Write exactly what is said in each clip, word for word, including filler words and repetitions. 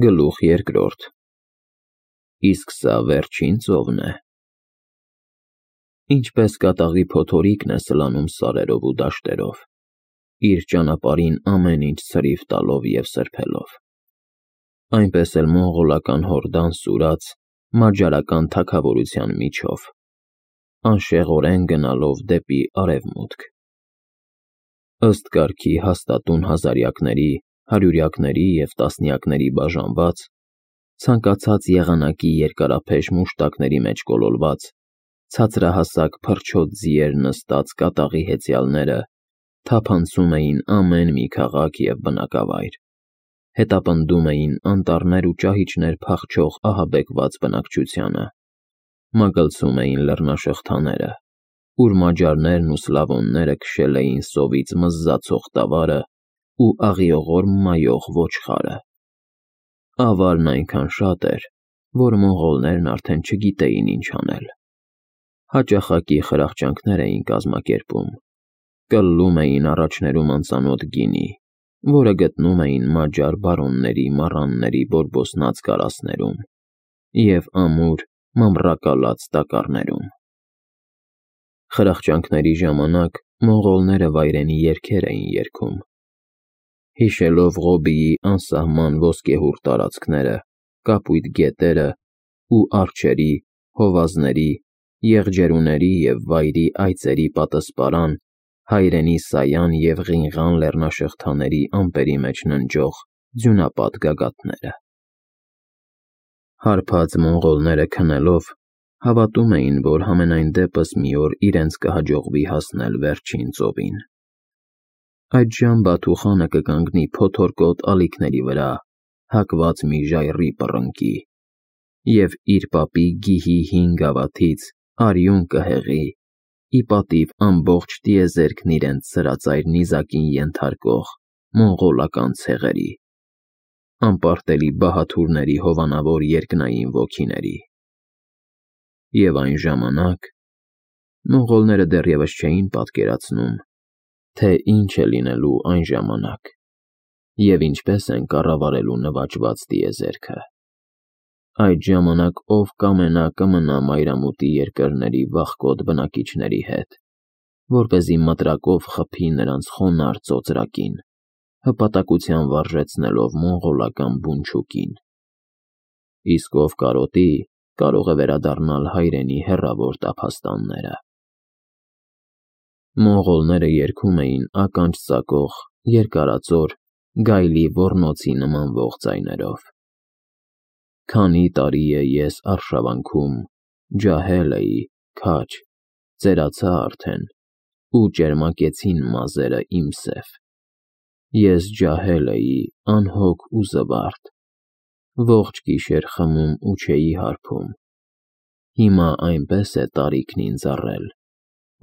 Գլուխ երկրորդ Իսկ սա վերջին ծովն է։ Ինչպես կատաղի փոթորիկն է սլանում սարերով ու դաշտերով, իր ճանապարհին ամեն ինչ ցրիվ տալով և սրբելով, այնպես էլ մոնղոլական հորդան սուրաց մարջարական թագավորության միջով, անշեղորեն գնալով դեպի արևմուտք։ Ըստ կարգի հաստատուն հազարյակների, հարյուրյակների և տասնյակների բաժանված, ցանկացած եղանակի երկարափեշ մուշտակների մեջ կոլորված, ցածրահասակ փռչոտ ձիեր նստած կատաղի հեծյալները թափանցում էին ամեն մի քաղաք և բնակավայր, հետապնդում էին անտառներ ու ճահիճներ փախչող ահաբեկված բնակչությանը, մագլցում էին լեռնաշղթաները, ուր մաջարներն ու սլավոնները քշել էին սովից մզզացող տավարը ու աղիողոր մայող ոչխարը։ Ավարն այնքան շատ էր, որ մոնղոլներն արդեն չգիտեին ինչ անել։ Հաճախակի խրախճանքներ էին կազմակերպում, կլլում էին առաջներում անծանոթ գինի, որը գտնում էին մաջար բարոնների մառանների բորբոսնած կարասներում և ամուր մամռակալած տակառներում։ Խրախճանքների ժամանակ մոնղոլները վայրենի երգեր էին երգում, հիշելով Ղոբիի անսահման ոսկեհուռ տարածքները, կապույտ գետերը ու արջերի, հովազների, եղջերուների և վայրի այծերի պատսպարան հայրենի Սայան և Ղինղան լեռնաշղթաների ամպերի մեջ ննջող ձյունապատ գագաթները։ Հարբած մոնղոլները քնելով հավատում էին, որ համենայն դեպս մի օր իրենց կհաջողվի հասնել վերջին ծովին։ Այդժամ Բաթու խանը կկանգնի փոթորկոտ ալիքների վրա, հակված մի ժայռի պռնկի, և իր պապի գիհի հին գավաթից արյուն կհեղի, ի պատիվ ամբողջ տիեզերքն իրենց սրածայր նիզակին ենթարկող մոնղոլական ցեղերի, անպարտելի բահաթուրների հովանավոր երկնային ոգիների։ Եվ այն ժամանակ… Մոնղոլները դեռևս չէին պատկերացնում, թե ինչ է լինելու այն ժամանակ և ինչպես են կառավարելու նվաճված տիեզերքը։ Այդ ժամանակ ով կամենա կմնա մայրամուտի երկրների վախկոտ բնակիչների հետ, որպեսզի մտրակով խփի նրանց խոնարհ ծոծրակին, հպատակության վարժեցնելով մոնղոլական բունչուկին։ Իսկ ով կարոտի, կարող է վերադառնալ հայրենի հեռավոր տափաստանները։ Մոնղոլները երգում էին ականջ ծակող, երկարածոր, գայլի ոռնոցի նմանվող ձայներով. Քանի տարի է ես արշավանքում, ջահել էի, քաջ, ծերացա արդեն, ու ճերմակեցին մազերը իմ սև։ Ես ջահել էի, անհոգ ու զվարթ, ողջ գիշեր խմում ու չէի հարբում։ Հիմա այնպես է տարիքն ինձ առել,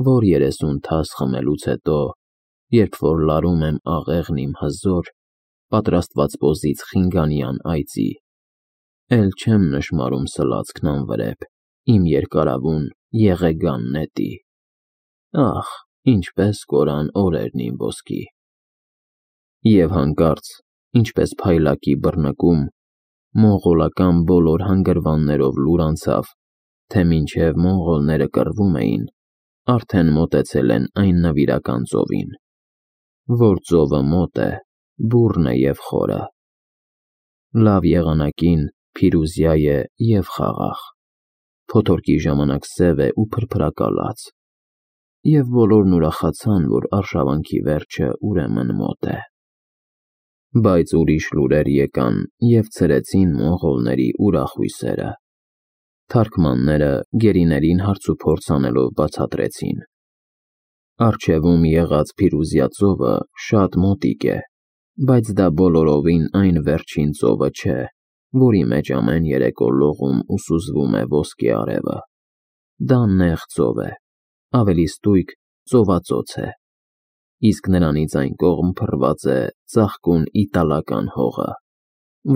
որ երեսուն թաս խմելուց հետո, երբ որ լարում եմ աղեղն իմ հզոր, պատրաստված պոզից խինգանյան այծի, էլ չեմ նշմարում սլացքն անվրեպ իմ երկարավուն եղեգան նետի։ Ախ, ինչպես կորան օրերն իմ ոսկի։ Եվ հանկարծ, ինչպես փայլակի բռնկում, մոնղոլական բոլոր հանգրվաններով լուր անցավ, թե մինչև մոնղոլները կռվում էին, արդեն մոտեցել են այն նվիրական ծովին, որ ծովը մոտ է, բուռն է և խորը, լավ եղանակին փիրուզյա է և խաղաղ, փոթորկի ժամանակ սև է ու փրփրակալած, և բոլորն ուրախացան, որ արշավանքի վերջը ուրեմն մոտ է։ Բայց ուրիշ լուրեր եկան և ցրեցին մոնղոլների ուրախ հույսերը։ Թարքմանները գերիներին հարցուփորձ անելով բացատրեցին. Առջևում եղած Փիրուզյա ծովը շատ մոտիկ է, բայց դա բոլորովին այն վերջին ծովը չէ, որի մեջ ամեն երեկո լողում ու սուզվում է ոսկե արևը։ Դա նեղ ծով է, ավելի ստույգ ծովածոց է, իսկ նրանից այն կողմ փռված է ծաղկուն իտալական հողը,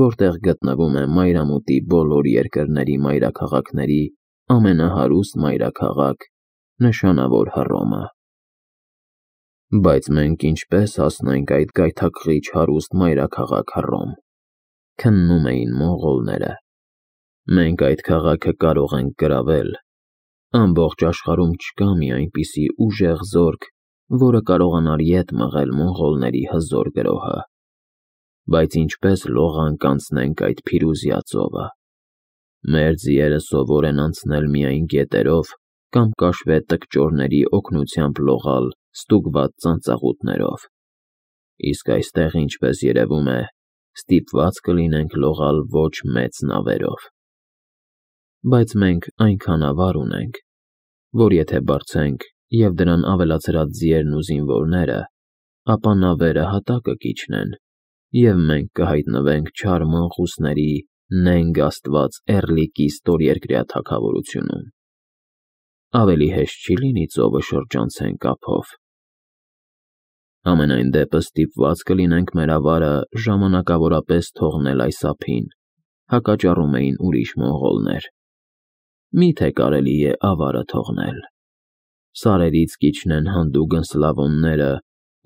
որտեղ գտնվում է մայրամուտի բոլոր երկրների մայրաքաղաքների ամենահարուստ մայրաքաղաք՝ նշանավոր Հռոմը։ Բայց մենք ինչպե՞ս հասնենք այդ գայթակղիչ հարուստ մայրաքաղաք Հռոմ։ քննում էին մոնղոլները։ Մենք այդ քաղաքը կարող ենք գրավել։ Ամբողջ աշխարհում չկա մի այնպիսի ուժեղ զորք, որը կարողանար ետ մղել մոնղոլների հզոր գրոհը։ Բայց ինչպես լողանք անցնենք այդ Փիրուզիա ծովը։ Մեր ձիերը սովոր են անցնել միայն գետերով կամ կաշվե տկճորների օգնությամբ լողալ ստուգված ծանծաղուտներով։ Իսկ այստեղ, ինչպես երևում է, ստիպված կլինենք լողալ ոչ մեծ նավերով։ Բայց մենք այնքան ավար ունենք, որ եթե բարձենք և դրան ավելացրած ձիերն ու զինվորները, ապա նավերը հատակը կիջնեն, և մենք կհայտնվենք չար մանկուսների նենգ աստված Էռլիկի ստորերկրյա թագավորությունում։ Ավելի հեշտ չի լինի ծովը շրջանցենք ափով։ Համենայն դեպս ստիպված կլինենք մեր ավարը ժամանակավորապես թողնել այս ափին, հակաճառում էին ուրիշ մոնղոլներ։ Մի՞թե կարելի է ավարը թողնել։ Սարերից կիջնեն հանդուգն սլավոնները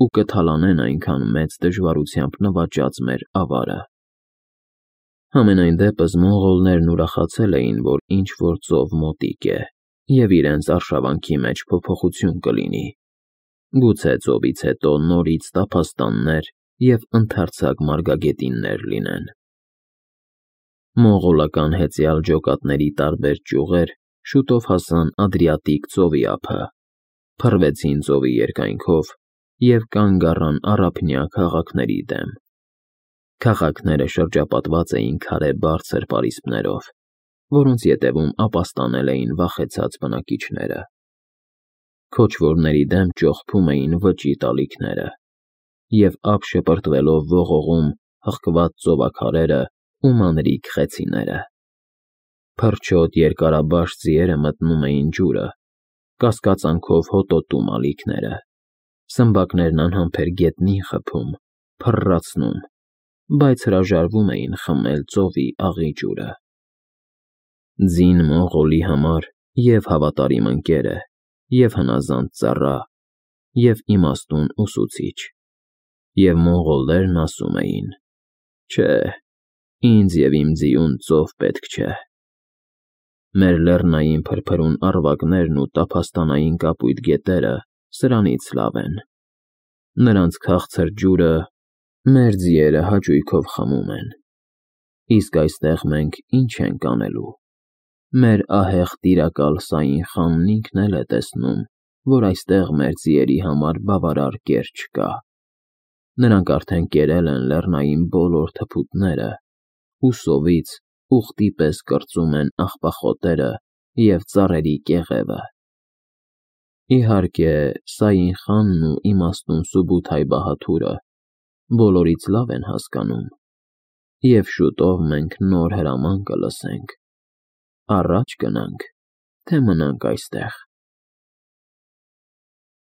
ու կթալանեն այնքան մեծ դժվարությամբ նվաճած մեր ավարը։ Համենայն դեպս մոնղոլներն ուրախացել էին, որ ինչ-որ ծով մոտիկ է, և իրենց արշավանքի մեջ փոփոխություն կլինի։ Գուցե ծովից հետո նորից տափաստաններ և ընդարձակ մարգագետիններ լինեն։ Մոնղոլական հեծյալ ջոկատների տարբեր ճյուղեր շուտով հասան Ադրիատիկ ծովի ափը, փռվեցին ծովի երկայնքով և կանգ առան առափնյա քաղաքների դեմ։ Քաղաքները շրջապատված էին քարե բարձր պարիսպներով, որոնց ետևում ապաստանել էին վախեցած բնակիչները։ Քոչվորների դեմ ճողփում էին վճիռ տալիքները, և ափ շպրտվելով ողողում հղկված ծովաքարերը ու մանրիկ խեցիները։ Փրչոտ երկարաբաշ ձիերը մտնում էին ջուրը, կասկածանքով հոտոտում ալիքները, սմբակներն անհամբեր գետնին խփում, փռռացնում, բայց հրաժարվում էին խմել ծովի աղի ջուրը։ Ձին մոնղոլի համար և հավատարիմ ընկեր է, և հնազանդ ծառա, և իմաստուն ուսուցիչ։ Եվ մոնղոլներն ասում էին. «Չէ, ինձ և իմ ձիուն ծով պետք չէ»։ Մեր լեռնային փրփրուն առվակներն ու տափաստանային կապույտ գետերը սրանից լավ են։ Նրանց քաղցր ջուրը մեր ձիերը հաճույքով խմում են։ Իսկ այստեղ մենք ի՞նչ ենք անելու։ Մեր ահեղ տիրակալ Սաին խանն ինքն էլ է տեսնում, որ այստեղ մեր ձիերի համար բավարար կեր չկա։ Նրանք արդեն կերել են լեռնային բոլոր թփուտները ու սովից ուղտի պես կրծում են աղբախոտերը և ծառերի կեղևը։ Իհարկե, Սաին խանն ու իմաստուն Սուբութայ Բահադուրը բոլորից լավ են հասկանում, և շուտով մենք նոր հրաման կլսենք՝ առաջ գնանք, թե մնանք այստեղ։